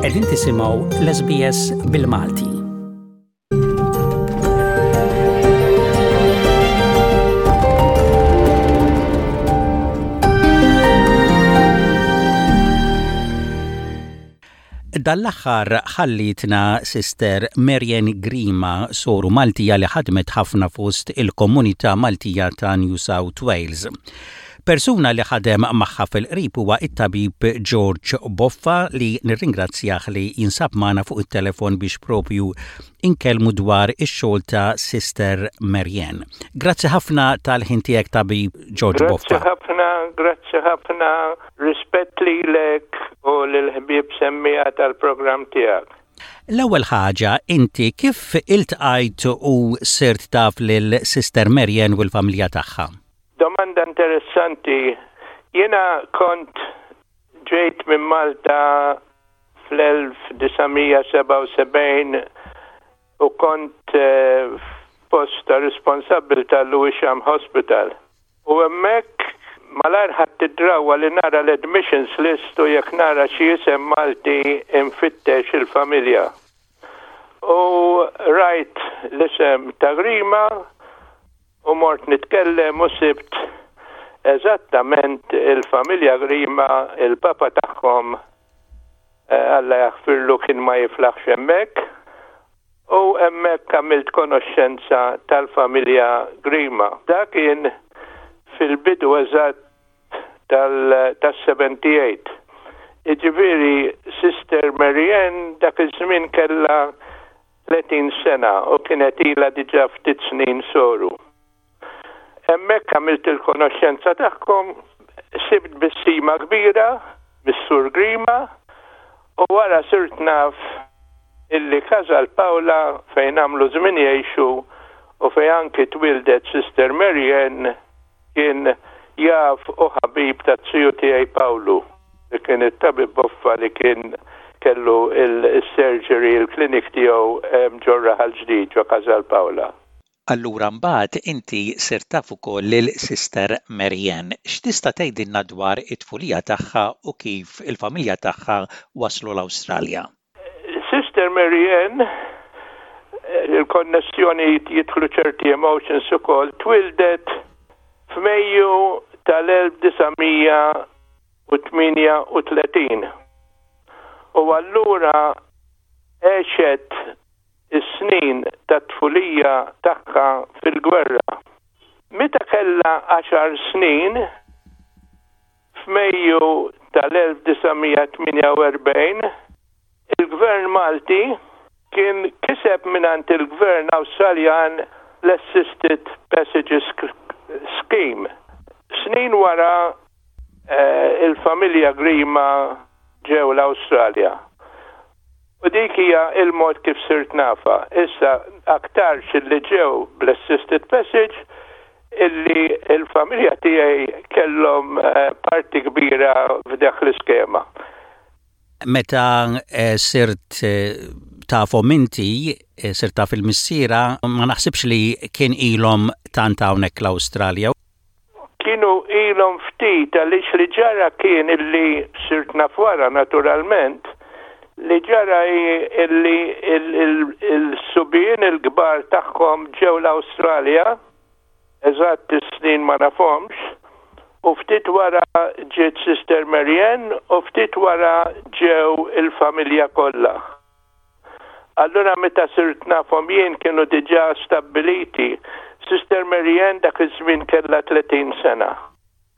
Qegħdin tisimgħu l-SBS bil-Malti. Dan l-aħħar ħallietna Sister Marian Grima, soru Maltija li ħadmet ħafna fost il-komunità Maltija ta' New South Wales. Persuna li ħadem magħha fil-qrib huwa t-tabib George Boffa li nirringrazzjah li jinsab magħna fuq it-telefon biex propju inkellmu dwar ix-xogħol ta' Sister Marianne. Grazzi ħafna tal-ħin tiegħek tabib George Boffa. Grazzi ħafna, grazzi ħafna, rispett lilek u lill-ħbieb semmiegħa tal-programm tiegħek. L-ewwel ħaġa, inti kif iltqajt u sirt taf lil Sister Marianne u l-familja tagħha? Domanda interessanti. Jiena kont ġejt minn Malta fl-1977 u kont f'post ta' responsabbiltà Lewisham Hospital. U hemmhekk malajr ħadt id-drawwa li nara l-admissions list u jekk nara xi isem Malti nfittex il-familja. U rajt l-isem ta' Grima U mort nitkellem u sibt eżattament il-familja Grima, il-papa tagħhom Alla jaħfirlu kien ma jiflaħx hemmhekk u hemmhekk għamilt konoxxenza tal-familja Grima. Dak kien fil-bidu eżatt tal-78. Jiġifieri Sister Mary Ann dak iż-żmien kellha 30 sena u kienet ilha diġà ftit snin soru. Hemmhekk għamilt il-konoxxenza tagħhom, sibt tbissima kbira mis-Sur Grima u wara sirt naf illi Casal Paola fejn għamlu żmien jgħixu u fejn anki twieldet Sister Mary Ann Kien jaf u ħabib taz-ziju tiegħi Pawlu, li kien it-tabib boffa li kien kellu s-surgery, il-clinic tiegħu ġo r-Raħal Ġdid, ġo Casal Paola. Allura mbagħad inti sirt taf ukoll lil Sister Mary Ann. X'tista' tgħidilna dwar it-tfulija tagħha u kif il-familja tagħha waslu l-Awstralja? Sister Mary Ann, il-konnessjoni jidħlu ċerti emotions ukoll, twieldet f'Mejju tal-1938 u allura għexet is-snin tat-tfulija tagħha fil-gwerra. Meta kellha għaxar snin, F'Mejju tal-1948, il-Gvern Malti kien kiseb mingħand il-Gvern Awstraljan l-Assisted Passages Scheme. Snin wara il-familja Grima ġew l-Awstralja. U dik hija il-mod kif sirt nafha. Issa aktarx illi ġew bl-assisted passage illi l-familja tiegħi kellhom eh, parti kbira f'dak l-iskema. Meta eh, sirt eh, tafhom inti, sirt taf il-missiera, ma naħsibx li kien ilhom tant hawnhekk l-Awstralja. Kienu ilhom ftit għaliex li ġara kien illi sirt naf wara naturalment, li ġara hi illi il-subien il-kbar tagħhom ġew l-Awstralja, eżatt is-snin ma nafhomx, u ftit wara ġiet Sister Mary Ann u ftit wara ġew il-familja kollha. Allura meta sirt nafhom jien kienu diġà stabbiliti. Sister Mary Ann dak iż-żmien kellha 30 sena.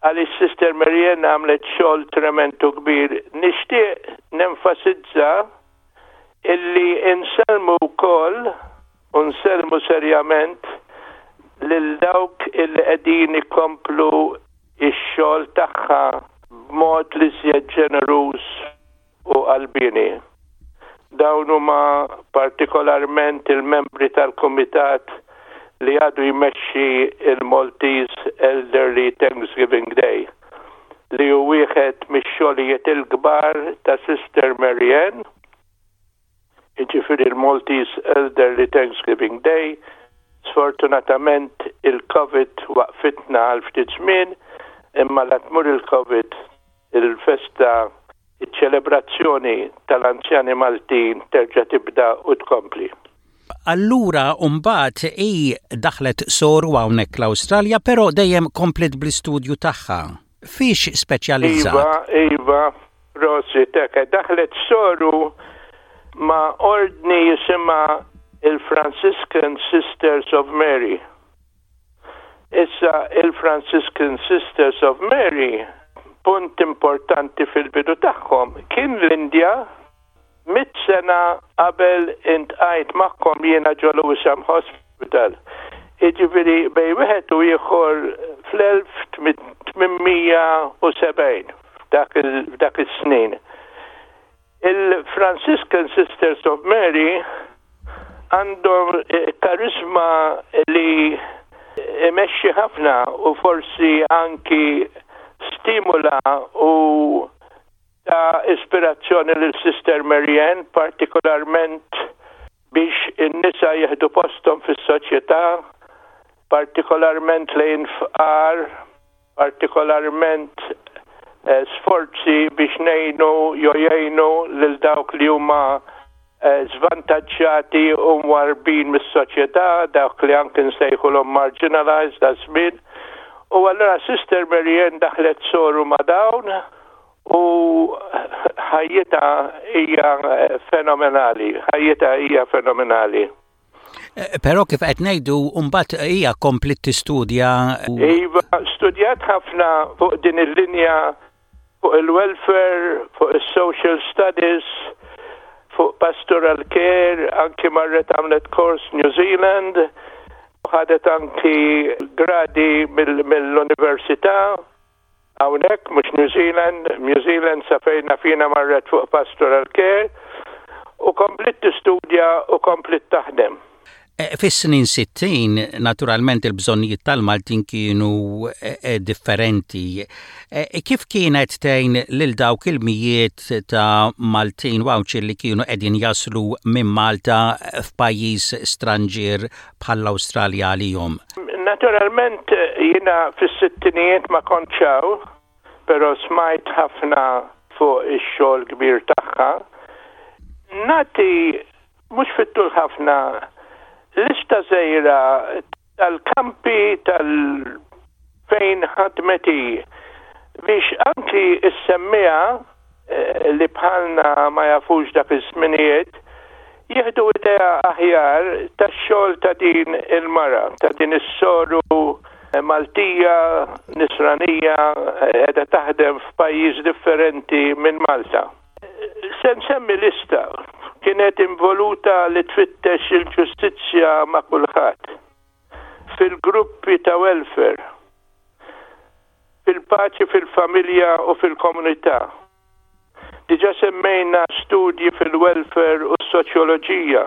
Għaliex Sister Mary Ann għamlet xogħol tremend u kbir. Nixtieq nenfasizza illi insellmu wkoll u nsellmu serjament lil dawk illi qegħdin ikomplu x-xogħol tagħha b'mod l-iżjed ġeneruż u qalbieni. Dawn huma partikolarment il-membri tal-kumitat li għadu jmexxi il-Maltese Elderly Thanksgiving Day, li hu wieħed mix-xogħlijiet il-kbar ta' Sister Mary Ann, jiġifieri l-Maltese Elderly Thanksgiving Day. Sfortunatament il-Covid waqfitna għal ftit żmien, imma la tmur il-Covid il-festa. Iċ-ċelebrazzjoni tal-anzjani Maltin terġa' tibda u tkompli. Allura mbagħad hi daħlet soru hawnhekk l-Awstralja però dejjem kompliet bl-istudju tagħha. Fiex speċjalizzat? Iva, iva, prosit, hekk. Daħlet soru ma' ordni jisimha il-Franciscan Sisters of Mary. Issa il-Franciscan Sisters of Mary, punt importanti fil-bidu tagħhom kien l-Indja mitt sena qabel intqajt magħkom jiena ġo Lewisham Hospital. Jiġifieri bejn wieħed u ieħor fl-1870 f'dak is-snin. Il-Franciscan Sisters of Mary għandhom kariżma li imexxi ħafna u forsi anki stimula u ta' ispirazzjoni lil Sister Marianne, partikolarment biex in-nisa jieħdu posthom fis-soċjetà, partikolarment lejn fqar, partikolarment sforzi biex ngħinu jew jgħinu lil dawk li huma żvantaġġjati u mwarrbin mis-soċjetà, dawk li anki nsejħulhom marginalized daż-żmien. U allura Sister Marianne daħlet soru ma' dawn u ħajjitha hija fenomenali, ħajjitha hija fenomenali. Però kif qed ngħidu mbagħad hija kompliet tistudja. Iva, studjat ħafna fuq din il-linja fuq il-welfare, fuq is-social studies, fuq pastoral care, anki marret għamlet kors New Zealand, ħadet anki gradi mill-università hawnhekk mhux New Zealand, New Zealand sa fejn naf jiena marret fuq pastoral care u kompliet tistudja u kompliet taħdem. Fis-snin 60, naturalment il-bżonnijiet tal-Maltin kienu differenti. Kif kienet tgħin lil dawk il-mijiet ta' Maltin u Għawdxin li kienu qegħdin jaslu minn Malta f'pajjiż stranġier bħall-Awstralja għalihom? Naturalment jiena fis-sittinijiet ma kontx hawn, però smajt ħafna fuq ix-xogħol kbir tagħha. Nagħti mhux fit-tul ħafna, lista żgħira tal-kampi tal fejn ħadmet hi biex anki s-semmiegħa eh, li bħalna ma jafux dak iż-żminijiet jieħdu idea aħjar tax-xogħol ta' din il-mara, ta' din is-soru Maltija, Nisranija, qiegħda taħdem f'pajjiż differenti minn Malta. Se nsemmi lista. Kienet involuta li tfittex il-ġustizzja ma' kulħadd. Fil-gruppi ta' welfare. Fil-paċi fil-familja u fil-komunità. Diġà semmejna studji fil-welfare u s-soċjoloġija.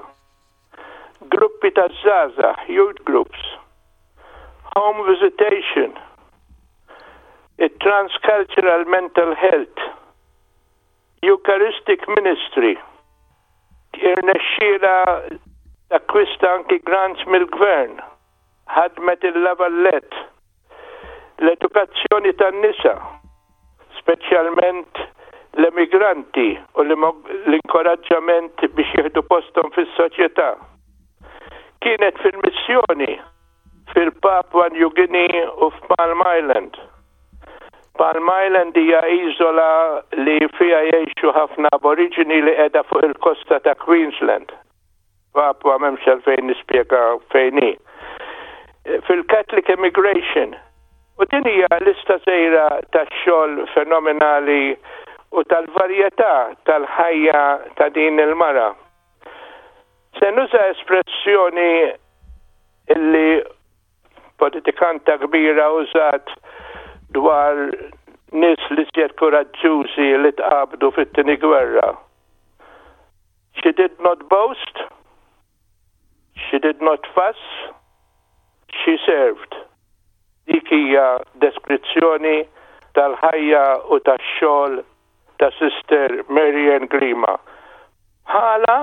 Gruppi ta' żgħażagħ, youth groups. Home visitation. It-transcultural mental health. Eucharistic Ministry irnexxielha takkwista anki grants mill-Gvern, ħadmet il-La Valette, l-edukazzjoni tan-nisa, speċjalment l-emigranti u l-inkoraġġament biex jieħdu posthom fis-soċjetà. Kienet fil-missjoni fil-Papua New Guinea u f'Palm Island. Palm Island hija iżola li fiha jgħixu ħafna Aboriġini li qiegħda fuq il-kosta ta' Queensland. Papua m'hemmx għalfejn nispjega fejn hi. Fil-Catholic Immigration. U din hija lista żgħira tax-xogħol fenomenali u tal-varjetà tal-ħajja ta' din il-mara. Se nuża espressjoni illi politikanta kbira użat dwar nies l-iżjed kuraġġużi li tqabdu fit-tieni gwerra. She did not boast, she did not fuss, she served. Dik hija deskrizzjoni tal-ħajja u tax-xogħol ta' Sister Marianne Grima. Bħala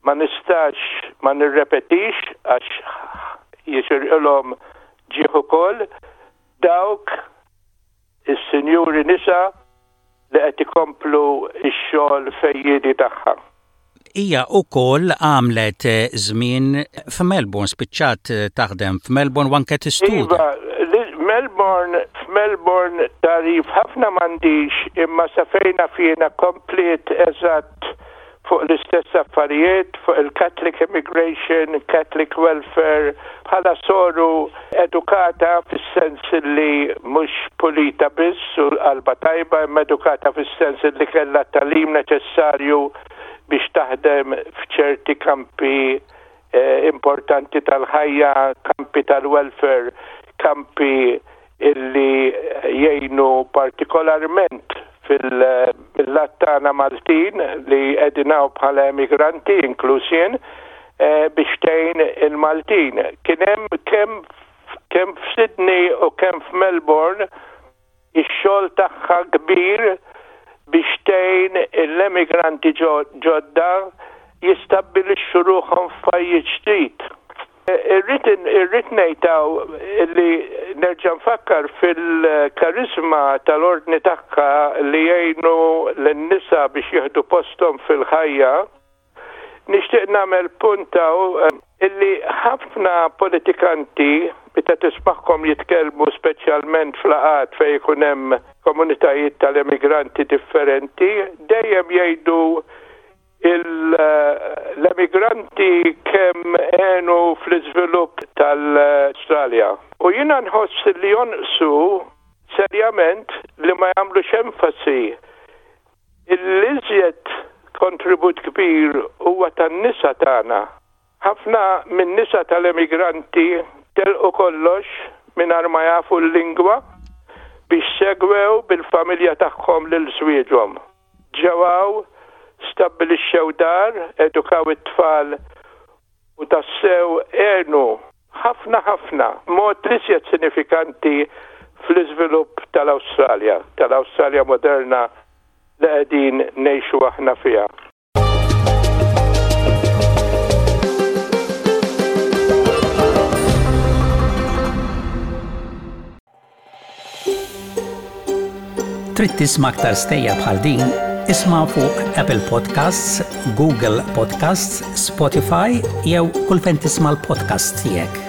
ma nistax ma nirrepetix għax jixirqilhom ġieħ ukoll dawk is-sinjuri nisa. li qed ikomplu x-xogħol fejjiedi tagħha. Hija wkoll għamlet żmien f'Melbourne, spiċċat taħdem f'Melbourne u anke tistudja. Iva, Melbourne, f'Melbourne tagħrif ħafna m'għandix imma sa fejn naf jiena kompliet eżatt fuq l-istess affarijiet, fuq il-Catholic Immigration, Catholic Welfare, bħala soru edukata fis-sens li mhux pulita biss u qalbha tajba imma edukata fis-sens li kellha t-tagħlim neċessarju biex taħdem f'ċerti kampi importanti tal-ħajja, kampi tal-welfare, kampi illi jgħinu partikolarment fil-lat tagħna Maltin li qegħdin hawn bħala emigranti, inkluż jien, biex tgħin il-Maltin. Kien hemm kemm kemm f'Sydney u kemm f'Melbourne ix-xogħol tagħha kbir biex tgħin l-emigranti ġodda jistabbilixxu ruħhom f'pajjiż ġdid. Irrid irrid ngħid hawn li nerġa' nfakkar fil-kariżma tal-Ordni tagħha li jgħinu lin-nisa biex jieħdu posthom fil-ħajja. Nixtieq nagħmel punt hawn illi ħafna politikanti meta tismagħhom jitkellmu speċjalment f'laqgħat fejn ikun hemm komunitajiet tal-emigranti differenti dejjem jgħidu l-emigranti kemm għenu fl-iżvilupp tal-Awstralja. U jiena nħoss li jonqsu serjament li ma jagħmlux enfasi l-iżjed kontribut kbir huwa tan-nisa tagħna. Ħafna min-nisa tal-emigranti telqu kollox mingħajr ma jafu l-lingwa biex segwew bil-familja tagħhom lil żwieġhom. Ġew hawn, stabbilixxew dar, edukaw it-tfal u tassew għenu ħafna ħafna b'mod l-iżjed sinifikanti fl-iżvilupp tal-Awstralja, tal-Awstralja moderna li qegħdin ngħixu aħna fiha. Trid tisma' aktar stejjer bħal din? Isma' fuq Apple Podcasts, Google Podcasts, Spotify jew kull fejn tisma' l-podcasts tiegħek.